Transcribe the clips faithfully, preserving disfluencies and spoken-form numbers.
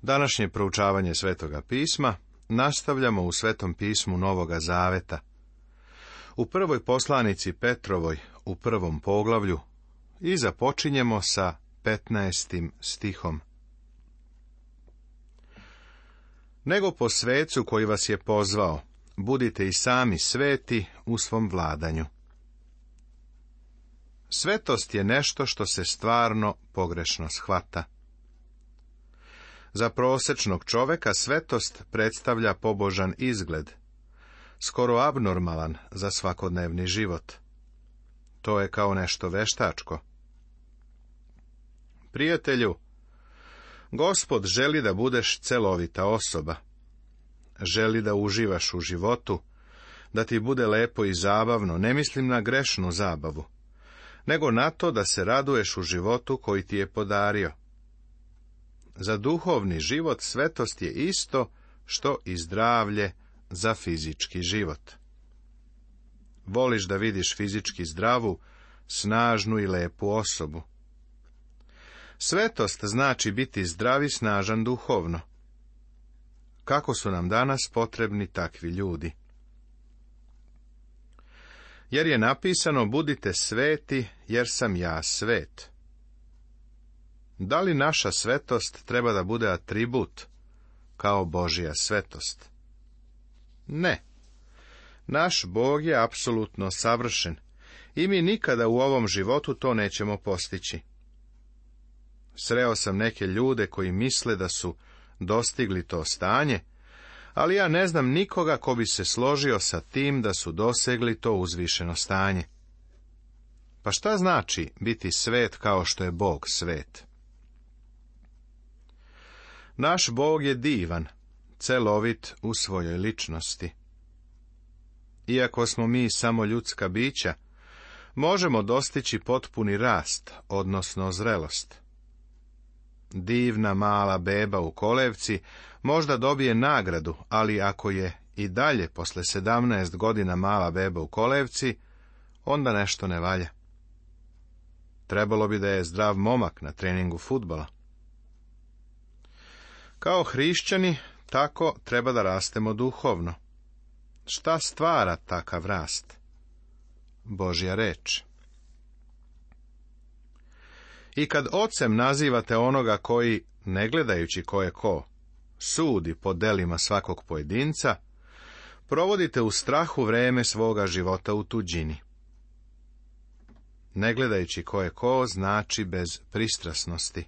Današnje proučavanje Svetoga pisma nastavljamo u Svetom pismu Novoga Zaveta. U prvoj poslanici Petrovoj, u prvom poglavlju, i započinjemo sa petnaestim stihom. Nego po svecu koji vas je pozvao, budite i sami sveti u svom vladanju. Svetost je nešto što se stvarno pogrešno shvata. Za prosečnog čoveka svetost predstavlja pobožan izgled, skoro abnormalan za svakodnevni život. To je kao nešto veštačko. Prijatelju, Gospod želi da budeš celovita osoba. Želi da uživaš u životu, da ti bude lepo i zabavno, ne mislim na grešnu zabavu, nego na to da se raduješ u životu koji ti je podario. Za duhovni život svetost je isto što i zdravlje za fizički život. Voliš da vidiš fizički zdravu, snažnu i lepu osobu. Svetost znači biti zdrav i snažan duhovno. Kako su nam danas potrebni takvi ljudi? Jer je napisano, budite sveti, jer sam ja svet. Da li naša svetost treba da bude atribut, kao Božja svetost? Ne. Naš Bog je apsolutno savršen i mi nikada u ovom životu to nećemo postići. Sreo sam neke ljude koji misle da su dostigli to stanje, ali ja ne znam nikoga ko bi se složio sa tim da su dosegli to uzvišeno stanje. Pa šta znači biti svet kao što je Bog svet? Naš Bog je divan, celovit u svojoj ličnosti. Iako smo mi samo ljudska bića, možemo dostići potpuni rast, odnosno zrelost. Divna mala beba u kolevci možda dobije nagradu, ali ako je i dalje posle sedamnaest godina mala beba u kolevci, onda nešto ne valja. Trebalo bi da je zdrav momak na treningu fudbala. Kao hrišćani, tako treba da rastemo duhovno. Šta stvara takav rast? Božja reč. I kad ocem nazivate onoga koji, ne gledajući ko je ko, sudi po delima svakog pojedinca, provodite u strahu vreme svoga života u tuđini. Ne gledajući ko je ko znači bez pristrasnosti.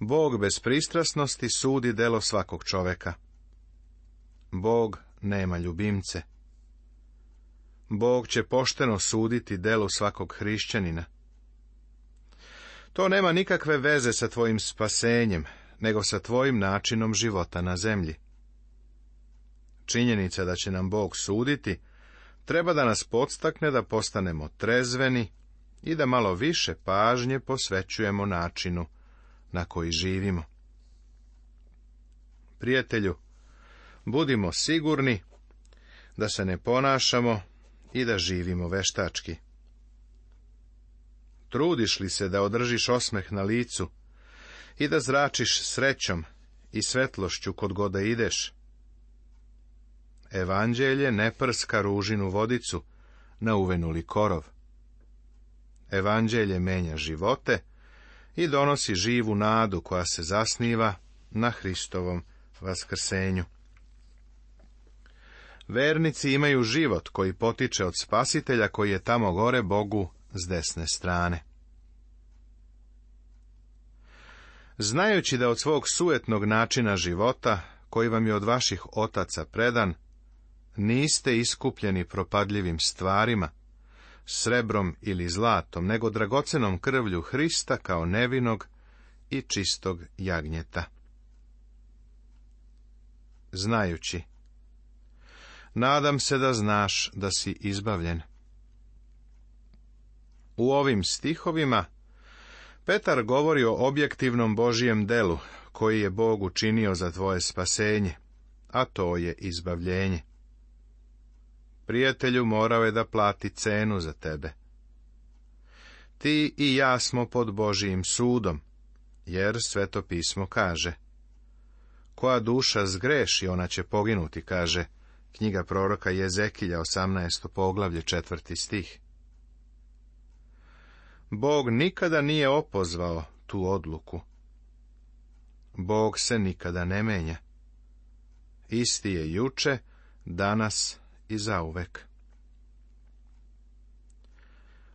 Bog bez pristrasnosti sudi delo svakog čoveka. Bog nema ljubimce. Bog će pošteno suditi delu svakog hrišćanina. To nema nikakve veze sa tvojim spasenjem, nego sa tvojim načinom života na zemlji. Činjenica da će nam Bog suditi treba da nas podstakne da postanemo trezveni i da malo više pažnje posvećujemo načinu na koji živimo. Prijatelju, budimo sigurni da se ne ponašamo i da živimo veštački. Trudiš li se da održiš osmeh na licu i da zračiš srećom i svetlošću kod god da ideš? Evanđelje ne prska ružinu vodicu na uvenuli korov. Evanđelje menja živote i donosi živu nadu koja se zasniva na Hristovom vaskrsenju. Vernici imaju život koji potiče od Spasitelja koji je tamo gore Bogu s desne strane. Znajući da od svog sujetnog načina života, koji vam je od vaših otaca predan, niste iskupljeni propadljivim stvarima, srebrom ili zlatom, nego dragocenom krvlju Hrista kao nevinog i čistog jagnjeta. Znajući. Nadam se da znaš da si izbavljen. U ovim stihovima Petar govori o objektivnom Božijem delu, koji je Bog učinio za tvoje spasenje, a to je izbavljenje. Prijatelju, morao je da plati cenu za tebe. Ti i ja smo pod Božijim sudom, jer Sveto pismo kaže: koja duša zgreši, ona će poginuti, kaže knjiga proroka Jezekilja, osamnaesto poglavlje, četvrti stih. Bog nikada nije opozvao tu odluku. Bog se nikada ne menja. Isti je juče, danas i zauvek.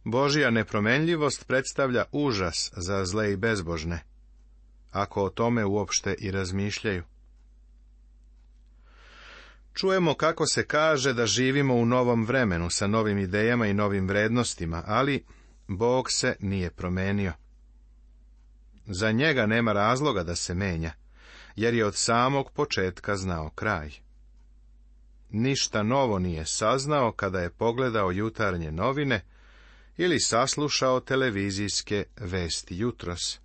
Božja nepromenljivost predstavlja užas za zle i bezbožne, ako o tome uopšte i razmišljaju. Čujemo kako se kaže da živimo u novom vremenu sa novim idejama i novim vrednostima, ali Bog se nije promenio. Za njega nema razloga da se menja, jer je od samog početka znao kraj. Ništa novo nije saznao kada je pogledao jutarnje novine ili saslušao televizijske vesti jutros.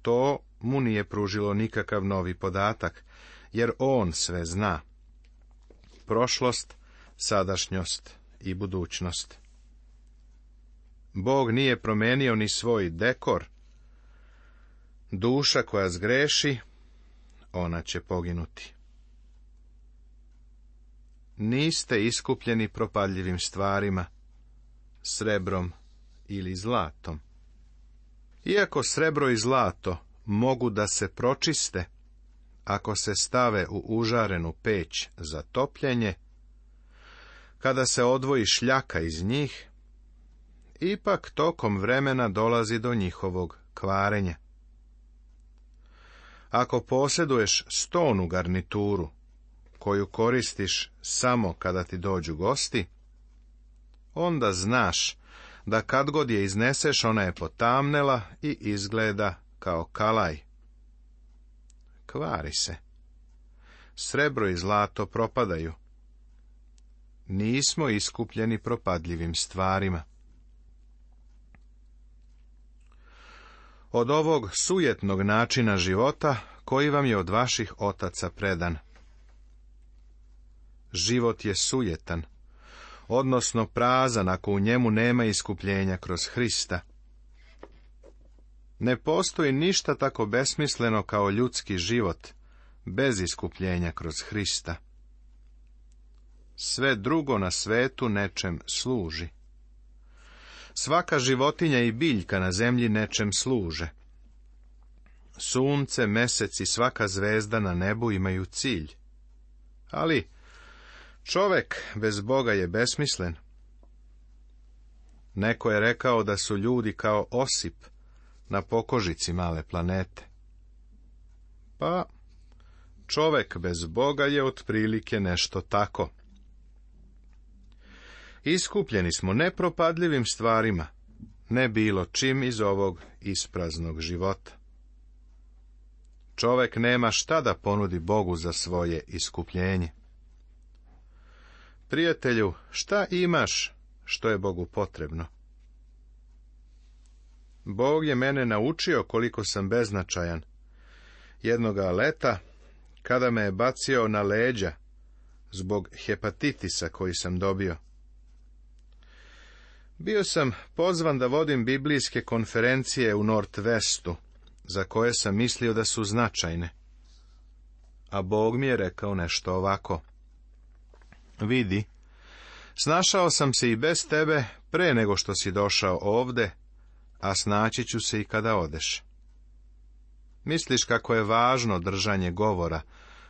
To mu nije pružilo nikakav novi podatak, jer on sve zna. Prošlost, sadašnjost i budućnost. Bog nije promenio ni svoj dekor. Duša koja zgreši, ona će poginuti. Niste iskupljeni propadljivim stvarima, srebrom ili zlatom. Iako srebro i zlato mogu da se pročiste, ako se stave u užarenu peć za topljenje, kada se odvoji šljaka iz njih, ipak tokom vremena dolazi do njihovog kvarenja. Ako posjeduješ stonu garnituru, koju koristiš samo kada ti dođu gosti, onda znaš da kad god je izneseš, ona je potamnela i izgleda kao kalaj. Kvari se. Srebro i zlato propadaju. Nismo iskupljeni propadljivim stvarima. Od ovog sujetnog načina života koji vam je od vaših otaca predan. Život je sujetan, odnosno prazan ako u njemu nema iskupljenja kroz Hrista. Ne postoji ništa tako besmisleno kao ljudski život bez iskupljenja kroz Hrista. Sve drugo na svetu nečem služi. Svaka životinja i biljka na zemlji nečem služe. Sunce, mesec i svaka zvezda na nebu imaju cilj. Ali čovek bez Boga je besmislen. Neko je rekao da su ljudi kao osip na pokožici male planete. Pa, čovek bez Boga je otprilike nešto tako. Iskupljeni smo nepropadljivim stvarima, ne bilo čim iz ovog ispraznog života. Čovek nema šta da ponudi Bogu za svoje iskupljenje. Prijatelju, šta imaš što je Bogu potrebno? Bog je mene naučio koliko sam beznačajan. Jednoga leta, kada me je bacio na leđa zbog hepatitisa koji sam dobio. Bio sam pozvan da vodim biblijske konferencije u Northwestu, za koje sam mislio da su značajne. A Bog mi je rekao nešto ovako. Vidi, snašao sam se i bez tebe pre nego što si došao ovde, a snaći ću se i kada odeš. Misliš kako je važno držanje govora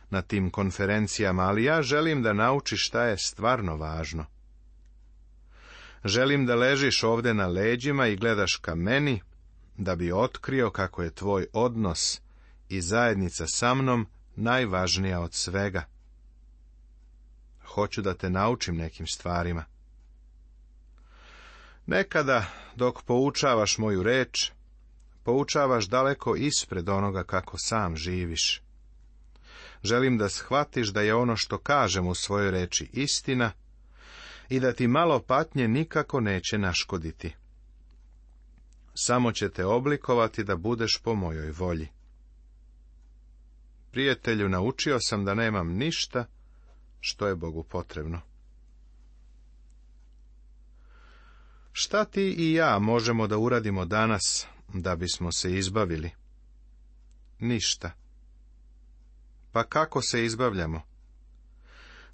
na tim konferencijama, ali ja želim da naučiš šta je stvarno važno. Želim da ležiš ovde na leđima i gledaš ka meni, da bi otkrio kako je tvoj odnos i zajednica sa mnom najvažnija od svega. Hoću da te naučim nekim stvarima. Nekada, dok poučavaš moju reč, poučavaš daleko ispred onoga kako sam živiš. Želim da shvatiš da je ono što kažem u svojoj reči istina i da ti malo patnje nikako neće naškoditi. Samo će te oblikovati da budeš po mojoj volji. Prijatelju, naučio sam da nemam ništa što je Bogu potrebno. Šta ti i ja možemo da uradimo danas da bismo se izbavili? Ništa. Pa kako se izbavljamo?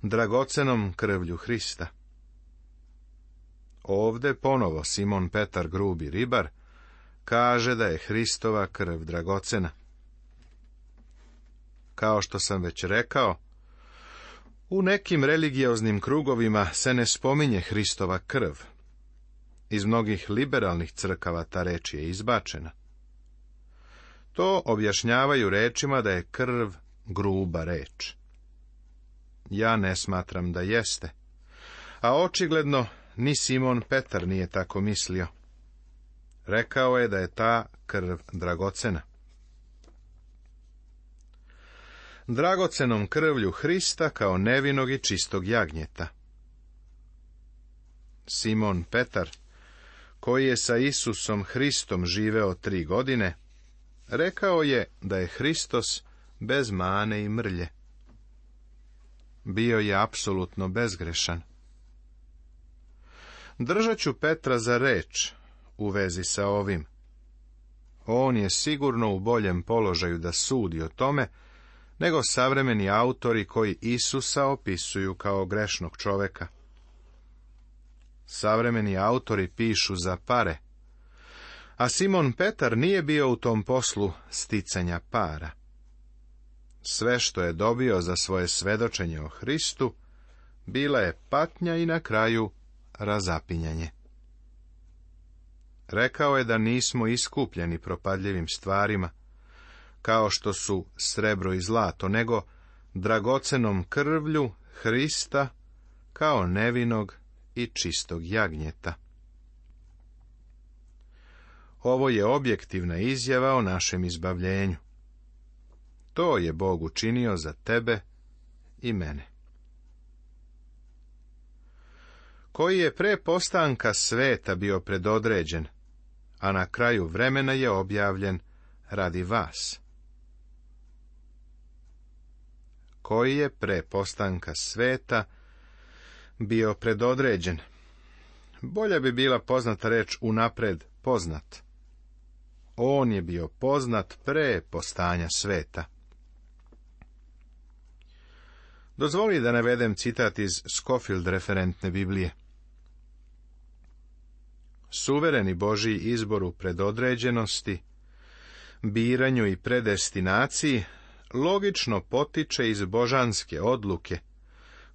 Dragocenom krvlju Hrista. Ovde ponovo Simon Petar, grubi ribar, kaže da je Hristova krv dragocena. Kao što sam već rekao, u nekim religioznim krugovima se ne spominje Hristova krv. Iz mnogih liberalnih crkava ta reč je izbačena. To objašnjavaju rečima da je krv gruba reč. Ja ne smatram da jeste, a očigledno ni Simon Petar nije tako mislio. Rekao je da je ta krv dragocena. Dragocenom krvlju Hrista kao nevinog i čistog jagnjeta. Simon Petar, koji je sa Isusom Hristom živeo tri godine, rekao je da je Hristos bez mane i mrlje. Bio je apsolutno bezgrešan. Držat ću Petra za reč u vezi sa ovim. On je sigurno u boljem položaju da sudi o tome, nego savremeni autori koji Isusa opisuju kao grešnog čoveka. Savremeni autori pišu za pare, a Simon Petar nije bio u tom poslu sticanja para. Sve što je dobio za svoje svedočenje o Hristu, bila je patnja i na kraju razapinjanje. Rekao je da nismo iskupljeni propadljivim stvarima, kao što su srebro i zlato, nego dragocenom krvlju Hrista kao nevinog i čistog jagnjeta. Ovo je objektivna izjava o našem izbavljenju. To je Bog učinio za tebe i mene. Koji je pre postanka sveta bio predodređen, a na kraju vremena je objavljen radi vas. Koji je pre postanka sveta bio predodređen. Bolja bi bila poznata reč unapred poznat. On je bio poznat pre postanja sveta. Dozvoli da navedem citat iz Scofield referentne Biblije. Suvereni Božji izbor u predodređenosti, biranju i predestinaciji logično potiče iz božanske odluke,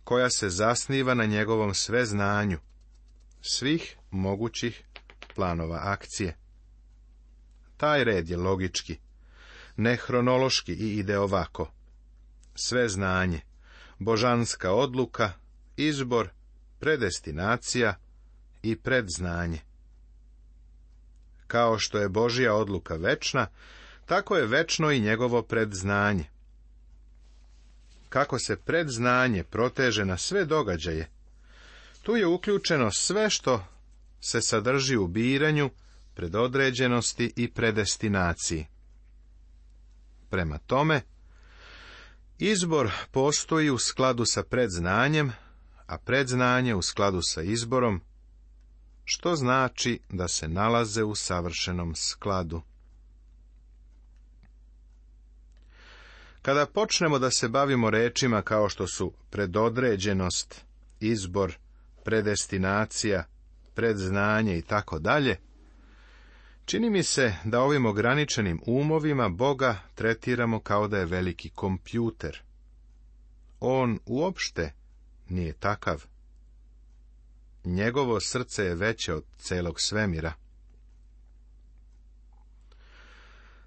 koja se zasniva na njegovom sveznanju, svih mogućih planova akcije. Taj red je logički, ne hronološki i ide ovako. Sve znanje, božanska odluka, izbor, predestinacija i predznanje. Kao što je Božja odluka večna, tako je večno i njegovo predznanje. Kako se predznanje proteže na sve događaje, tu je uključeno sve što se sadrži u biranju, predodređenosti i predestinaciji. Prema tome, izbor postoji u skladu sa predznanjem, a predznanje u skladu sa izborom, što znači da se nalaze u savršenom skladu. Kada počnemo da se bavimo rečima kao što su predodređenost, izbor, predestinacija, predznanje i tako dalje, čini mi se da ovim ograničenim umovima Boga tretiramo kao da je veliki kompjuter. On uopšte nije takav. Njegovo srce je veće od celog svemira.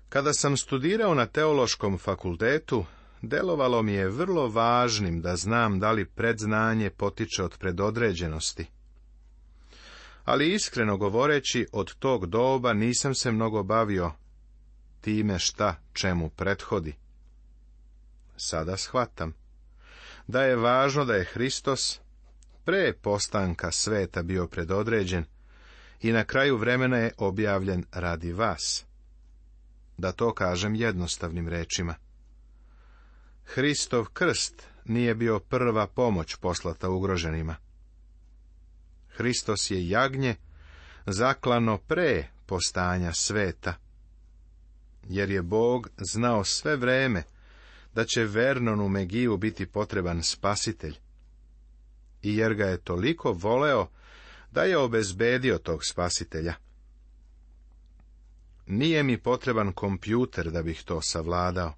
Kada sam studirao na teološkom fakultetu, delovalo mi je vrlo važnim da znam da li predznanje potiče od predodređenosti. Ali iskreno govoreći, od tog doba nisam se mnogo bavio time šta čemu prethodi. Sada shvatam da je važno da je Hristos pre postanka sveta bio predodređen i na kraju vremena je objavljen radi vas. Da to kažem jednostavnim rečima. Hristov krst nije bio prva pomoć poslata ugroženima. Hristos je jagnje zaklano pre postanja sveta. Jer je Bog znao sve vreme da će Vernonu Megiju biti potreban spasitelj. I jer ga je toliko voleo da je obezbedio tog spasitelja. Nije mi potreban kompjuter da bih to savladao.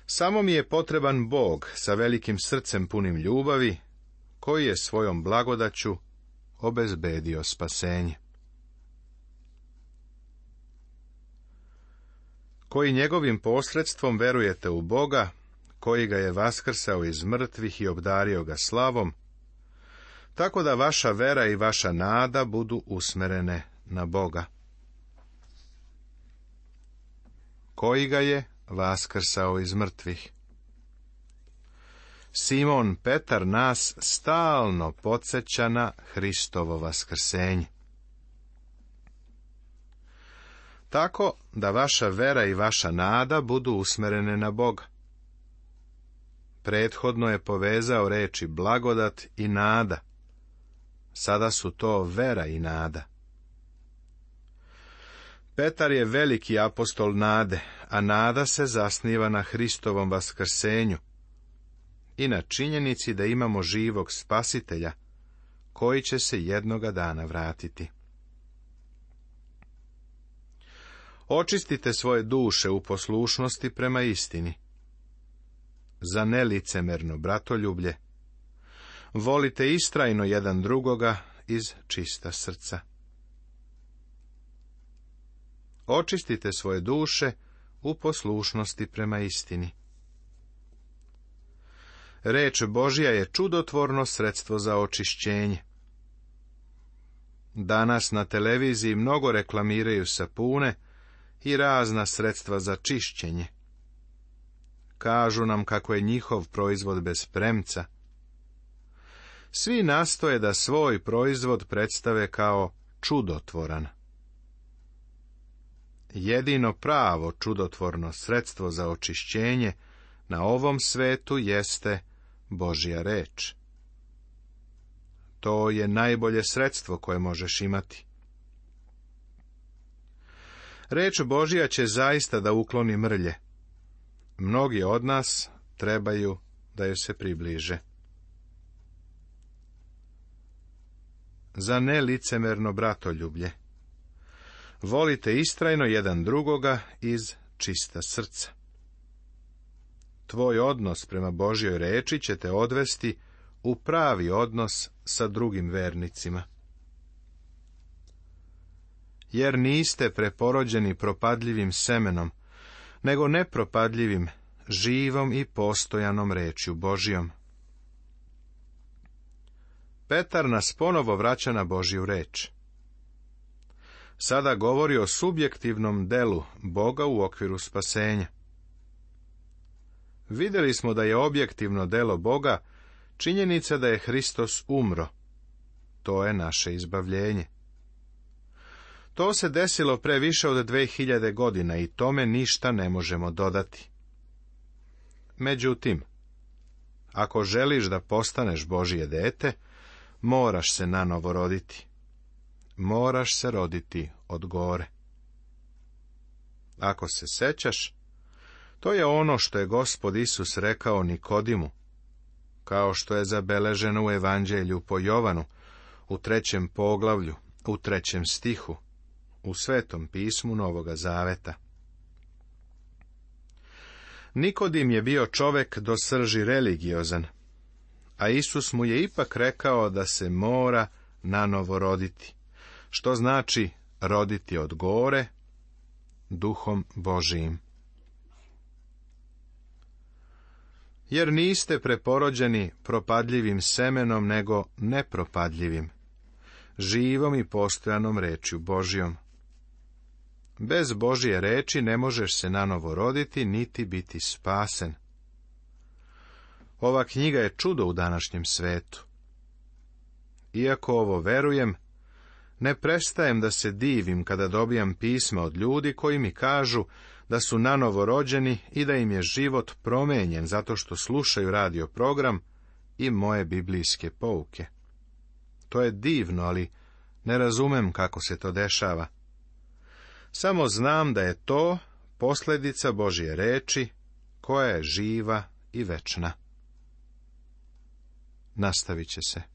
Samo mi je potreban Bog sa velikim srcem punim ljubavi, koji je svojom blagodaću obezbedio spasenje. Koji njegovim posredstvom verujete u Boga, koji ga je vaskrsao iz mrtvih i obdario ga slavom, tako da vaša vera i vaša nada budu usmerene na Boga. Koji ga je vaskrsao iz mrtvih? Simon Petar nas stalno podsjeća na Hristovo vaskrsenje. Tako da vaša vera i vaša nada budu usmerene na Boga. Prethodno je povezao reči blagodat i nada. Sada su to vera i nada. Petar je veliki apostol nade, a nada se zasniva na Hristovom vaskrsenju i na činjenici da imamo živog spasitelja, koji će se jednoga dana vratiti. Očistite svoje duše u poslušnosti prema istini. Za nelicemerno bratoljublje, volite istrajno jedan drugoga iz čista srca. Očistite svoje duše u poslušnosti prema istini. Reč Božja je čudotvorno sredstvo za očišćenje. Danas na televiziji mnogo reklamiraju sapune i razna sredstva za čišćenje. Kažu nam kako je njihov proizvod bez premca. Svi nastoje da svoj proizvod predstave kao čudotvoran. Jedino pravo čudotvorno sredstvo za očišćenje na ovom svetu jeste Božja reč. To je najbolje sredstvo koje možeš imati. Reč Božja će zaista da ukloni mrlje. Mnogi od nas trebaju da joj se približe. Za nelicemerno bratoljublje, volite istrajno jedan drugoga iz čista srca. Tvoj odnos prema Božjoj reči će te odvesti u pravi odnos sa drugim vernicima. Jer niste preporođeni propadljivim semenom, nego nepropadljivim, živom i postojanom rečju Božjom. Petar nas ponovo vraća na Božju reč. Sada govori o subjektivnom delu Boga u okviru spasenja. Vidjeli smo da je objektivno delo Boga činjenica da je Hristos umro. To je naše izbavljenje. To se desilo pre više od dve hiljade godina i tome ništa ne možemo dodati. Međutim, ako želiš da postaneš Božje dete, moraš se nanovo roditi. Moraš se roditi od gore. Ako se sećaš, to je ono što je Gospod Isus rekao Nikodimu, kao što je zabeleženo u Evanđelju po Jovanu, u trećem poglavlju, u trećem stihu, u Svetom pismu Novoga Zaveta. Nikodim je bio čovek do srži religiozan, a Isus mu je ipak rekao da se mora nanovo roditi, što znači roditi od gore, duhom Božijim. Jer niste preporođeni propadljivim semenom, nego nepropadljivim, živom i postojanom rečju Božjom. Bez Božje reči ne možeš se nanovo roditi, niti biti spasen. Ova knjiga je čudo u današnjem svetu. Iako ovo verujem, ne prestajem da se divim kada dobijam pisma od ljudi koji mi kažu da su nanovo rođeni i da im je život promenjen zato što slušaju radio program i moje biblijske pouke. To je divno, ali Ne razumem kako se to dešava. Samo znam da je to posljedica Božje reči, koja je živa i večna. Nastavit će se.